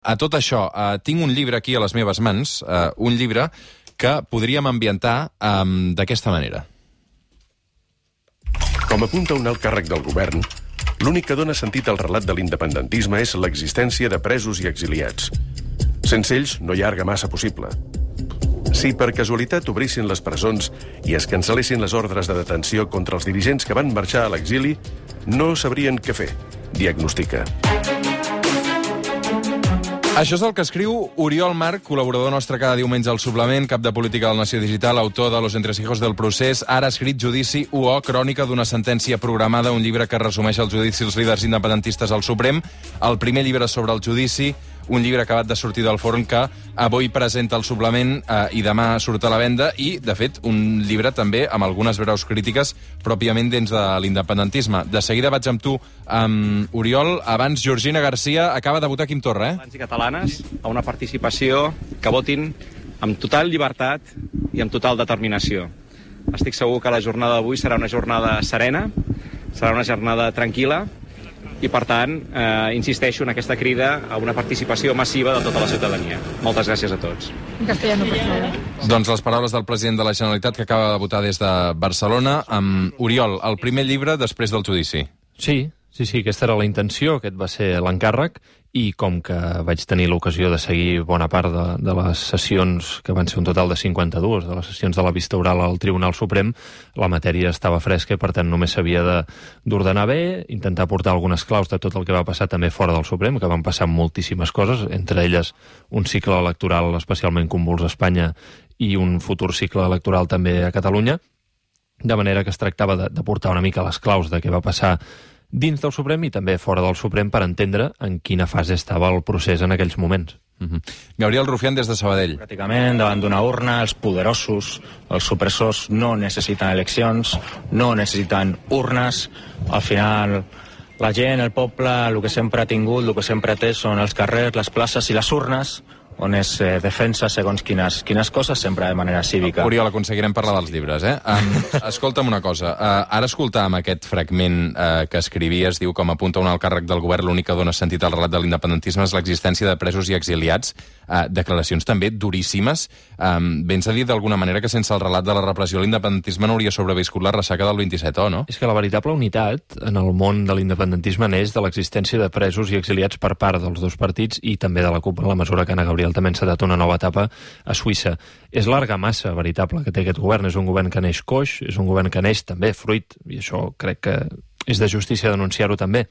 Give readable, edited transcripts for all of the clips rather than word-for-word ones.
A tot això, tinc un llibre aquí a les meves mans, un llibre que podríem ambientar d'aquesta manera. Com apunta un alt càrrec del govern, l'únic que dona sentit al relat de l'independentisme és l'existència de presos i exiliats. Sense ells no hi ha argamassa possible. Si per casualitat obrissin les presons i es cancel·lessin les ordres de detenció contra els dirigents que van marxar a l'exili, no sabrien què fer, diagnostica. Això és el que escriu Oriol March, col·laborador nostre cada diumenge al Suplement, cap de política del Nació Digital, autor de Los entresijos del procés, ara ha escrit Judici UO, crònica d'una sentència programada, un llibre que resumeix el judici dels líders independentistes al Suprem, el primer llibre sobre el judici, un llibre acabat de sortir del forn que avui presenta el Suplement i demà surt a la venda, i, de fet, un llibre també amb algunes breus crítiques pròpiament dins de l'independentisme. De seguida vaig amb tu, Oriol. Abans, Georgina Garcia acaba de votar Quim Torra, Catalans i catalanes a una participació que votin amb total llibertat i amb total determinació. Estic segur que la jornada d'avui serà una jornada serena, serà una jornada tranquil·la, i, per tant, insisteixo en aquesta crida a una participació massiva de tota la ciutadania. Moltes gràcies a tots. Castellano, per favor. Doncs les paraules del president de la Generalitat, que acaba de votar des de Barcelona. Oriol, el primer llibre després del judici. Sí, aquesta era la intenció, aquest va ser l'encàrrec, i com que vaig tenir l'ocasió de seguir bona part de les sessions, que van ser un total de 52, de les sessions de la vista oral al Tribunal Suprem, la matèria estava fresca i, per tant, només s'havia d'ordenar bé, intentar portar algunes claus de tot el que va passar també fora del Suprem, que van passar moltíssimes coses, entre elles un cicle electoral especialment convuls a Espanya i un futur cicle electoral també a Catalunya, de manera que es tractava de portar una mica les claus de què va passar dins del Suprem i també fora del Suprem per entendre en quina fase estava el procés en aquells moments. Gabriel Rufián, des de Sabadell. Pràcticament, davant d'una urna, els poderosos, els supressors, no necessiten eleccions, no necessiten urnes. Al final, la gent, el poble, el que sempre ha tingut, el que sempre té són els carrers, les places i les urnes, on es defensa segons quines coses, sempre de manera cívica. Oriol, aconseguirem parlar dels llibres, escolta'm una cosa. Ara escoltàvem aquest fragment que escrivies, diu, com apunta un alt càrrec del govern, l'únic que dona sentit al relat de l'independentisme és l'existència de presos i exiliats. Declaracions també duríssimes. Vens a dir d'alguna manera que sense el relat de la repressió l'independentisme no hauria sobreviscut la ressaca del 27, no? És que la veritable unitat en el món de l'independentisme neix de l'existència de presos i exiliats per part dels dos partits i també de la CUP, en la mesura que Ana Gabriel també ha encetat una nova etapa a Suïssa. És l'argamassa veritable que té aquest govern. És un govern que neix coix, és un govern que neix també fruit, i això crec que és de justícia denunciar-ho també,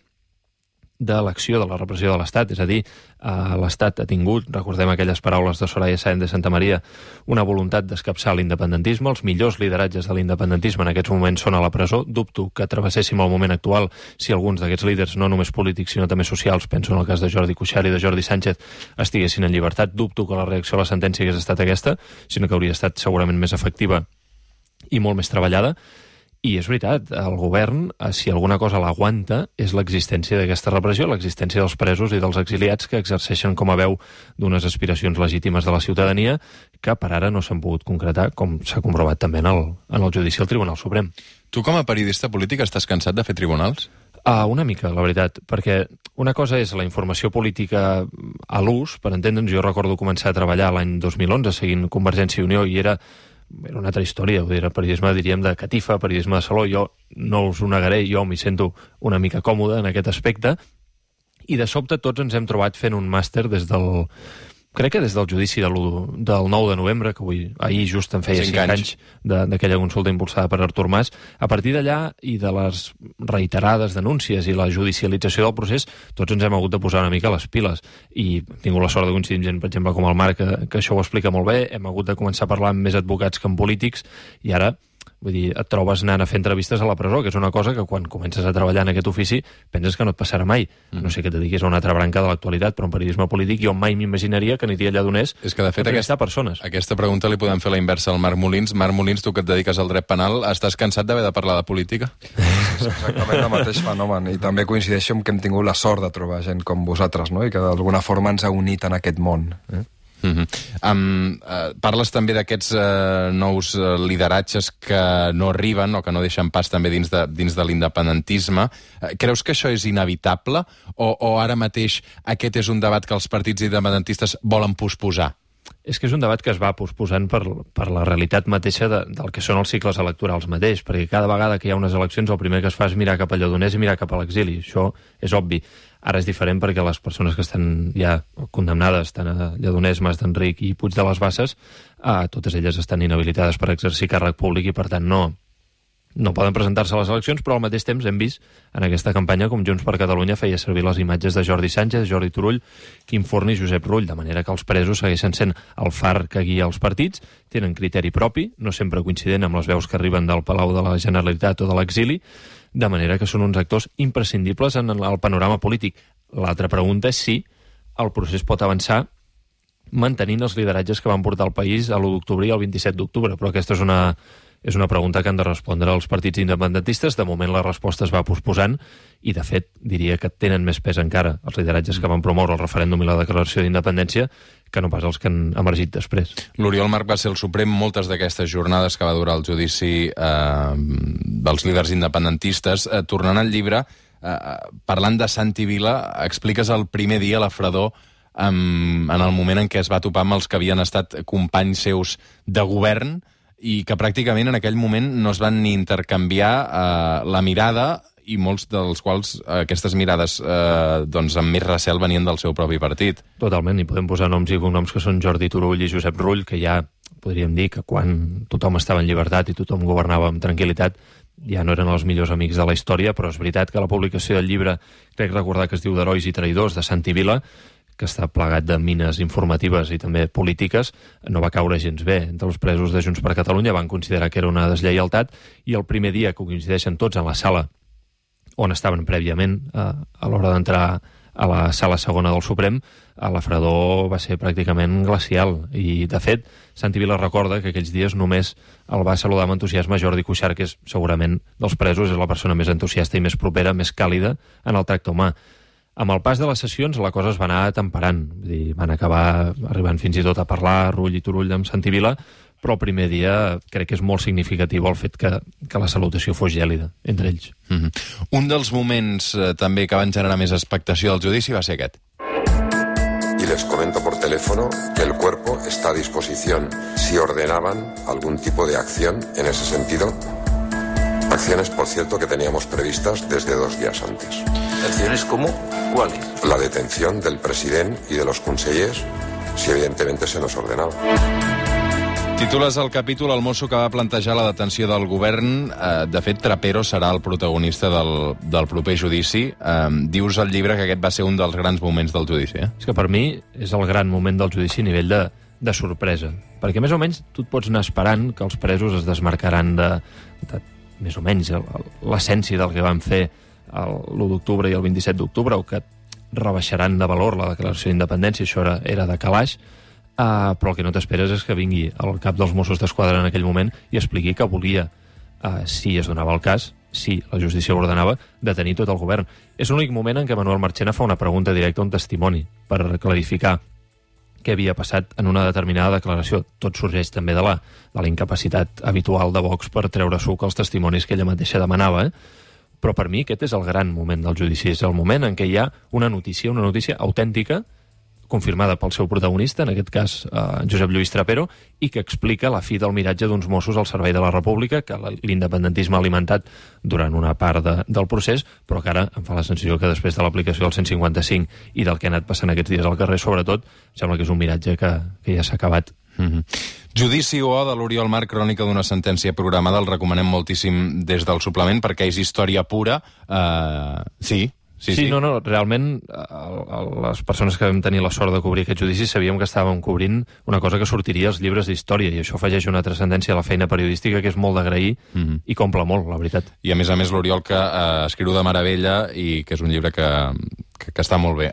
de l'acció de la repressió de l'Estat. És a dir, l'Estat ha tingut, recordem aquelles paraules de Soraya Sáenz de Santamaría, una voluntat d'escapçar l'independentisme. Els millors lideratges de l'independentisme en aquests moments són a la presó. Dubto que travesséssim el moment actual si alguns d'aquests líders, no només polítics sinó també socials, penso en el cas de Jordi Cuixart i de Jordi Sánchez, estiguessin en llibertat. Dubto que la reacció a la sentència hagués estat aquesta, sinó que hauria estat segurament més efectiva i molt més treballada. I és veritat, el govern, si alguna cosa l'aguanta, és l'existència d'aquesta repressió, l'existència dels presos i dels exiliats que exerceixen com a veu d'unes aspiracions legítimes de la ciutadania que per ara no s'han pogut concretar, com s'ha comprovat també en el judici al Tribunal Suprem. Tu, com a periodista polític, estàs cansat de fer tribunals? Una mica, la veritat, perquè una cosa és la informació política a l'ús, per entendre'ns. Jo recordo començar a treballar l'any 2011 seguint Convergència i Unió i era una altra història, el periodisme, diríem, de catifa, periodisme de saló. Jo no us ho negaré, jo m'hi sento una mica còmode en aquest aspecte, i de sobte tots ens hem trobat fent un màster crec que des del judici del 9 de novembre, que ahir just en feia 5 anys d'aquella consulta impulsada per Artur Mas. A partir d'allà i de les reiterades denúncies i la judicialització del procés, tots ens hem hagut de posar una mica les piles. I he tingut la sort de coincidir amb gent, per exemple, com el Marc, que això ho explica molt bé. Hem hagut de començar a parlar amb més advocats que amb polítics, i ara et trobes anant a fer entrevistes a la presó, que és una cosa que quan comences a treballar en aquest ofici penses que no et passarà mai. No sé que et dediquis a una altra branca de l'actualitat, però en periodisme polític jo mai m'imaginaria que aniria allà d'on és que, de fet, aquesta pregunta li podem fer la inversa al Marc Molins. Marc Molins, tu que et dediques al dret penal, estàs cansat d'haver de parlar de política? És exactament el mateix fenomen, i també coincideixo amb que hem tingut la sort de trobar gent com vosaltres, no? I que d'alguna forma ens ha unit en aquest món. Parles també d'aquests nous lideratges que no arriben o que no deixen pas també dins de l'independentisme. Creus que això és inevitable o ara mateix aquest és un debat que els partits independentistes volen posposar? És que és un debat que es va posposant per la realitat mateixa del que són els cicles electorals mateix, perquè cada vegada que hi ha unes eleccions el primer que es fa és mirar cap a Lledoners i mirar cap a l'exili. Això és obvi. Ara és diferent perquè les persones que estan ja condemnades, tant a Lledoners, Mas d'Enric i Puig de les Basses, totes elles estan inhabilitades per exercir càrrec públic i per tant no poden presentar-se a les eleccions, però al mateix temps hem vist en aquesta campanya com Junts per Catalunya feia servir les imatges de Jordi Sánchez, Jordi Turull, Quim Forn i Josep Rull, de manera que els presos segueixen sent el far que guia els partits, tenen criteri propi, no sempre coincident amb les veus que arriben del Palau de la Generalitat o de l'exili, de manera que són uns actors imprescindibles en el panorama polític. L'altra pregunta és si el procés pot avançar mantenint els lideratges que van portar el país a l'1 d'octubre i el 27 d'octubre, però aquesta és una pregunta que han de respondre els partits independentistes. De moment la resposta es va posposant i, de fet, diria que tenen més pes encara els lideratges que van promoure el referèndum i la declaració d'independència que no pas els que han emergit després. L'Oriol Marc va ser el Suprem moltes d'aquestes jornades que va durar el judici dels líders independentistes. Tornant al llibre, parlant de Santi Vila, expliques el primer dia a la fredor en el moment en què es va topar amb els que havien estat companys seus de govern i que pràcticament en aquell moment no es van ni intercanviar la mirada i molts dels quals aquestes mirades amb més recel venien del seu propi partit. Totalment, i podem posar noms i cognoms que són Jordi Turull i Josep Rull, que ja podríem dir que quan tothom estava en llibertat i tothom governava amb tranquil·litat ja no eren els millors amics de la història, però és veritat que la publicació del llibre, crec recordar que es diu d'Herois i Traïdors, de Santi Vila, que està plegat de mines informatives i també polítiques, no va caure gens bé. Entre els presos de Junts per Catalunya van considerar que era una deslleialtat i el primer dia que coincideixen tots en la sala on estaven prèviament a l'hora d'entrar a la sala segona del Suprem, la fredor va ser pràcticament glacial i, de fet, Santi Vila recorda que aquells dies només el va saludar amb entusiasme Jordi Cuixart, que és segurament dels presos és la persona més entusiasta i més propera, més càlida en el tracte humà. Amb el pas de les sessions la cosa es va anar temperant, van acabar arribant fins i tot a parlar Rull i Turull amb Santi Vila, però el primer dia crec que és molt significatiu el fet que la salutació fos gèlida entre ells. Un dels moments també que van generar més expectació del judici va ser aquest. Y les comento por teléfono que el cuerpo está a disposición si ordenaban algún tipo de acción en ese sentido. Acciones, por cierto, que teníamos previstas desde 2 días antes. ¿Acciones como? ¿Cuáles? La detención del presidente y de los consellers, si evidentemente se nos ordenaba. Titules el capítol El mosso que va plantejar la detenció del govern. De fet, Trapero serà el protagonista del proper judici. Dius al llibre que aquest va ser un dels grans moments del judici. És que per mi és el gran moment del judici a nivell de sorpresa. Perquè més o menys tu et pots anar esperant que els presos es desmarcaran de més o menys l'essència del que van fer l'1 d'octubre i el 27 d'octubre, o que rebaixaran de valor la declaració d'independència, això era de calaix, però el que no t'esperes és que vingui el cap dels Mossos d'Esquadra en aquell moment i expliqui que volia, si es donava el cas, si la justícia ho ordenava, detenir tot el govern. És l'únic moment en què Manuel Marchena fa una pregunta directa a un testimoni per clarificar què havia passat en una determinada declaració. Tot sorgeix també de la incapacitat habitual de Vox per treure suc als testimonis que ella mateixa demanava, Però per mi aquest és el gran moment del judici, és el moment en què hi ha una notícia autèntica, confirmada pel seu protagonista, en aquest cas Josep Lluís Trapero, i que explica la fi del miratge d'uns Mossos al servei de la República, que l'independentisme ha alimentat durant una part del procés, però que ara em fa la sensació que després de l'aplicació del 155 i del que ha anat passant aquests dies al carrer, sobretot, sembla que és un miratge que ja s'ha acabat. Judici O de l'Oriol Marc, crònica d'una sentència programada, el recomanem moltíssim des del suplement perquè és història pura. Sí, no, realment les persones que vam tenir la sort de cobrir aquest judici sabíem que estàvem cobrint una cosa que sortiria als llibres d'història, i això afegeix una transcendència a la feina periodística que és molt d'agrair i comple molt, la veritat. I a més l'Oriol que escriu de meravella i que és un llibre que està molt bé.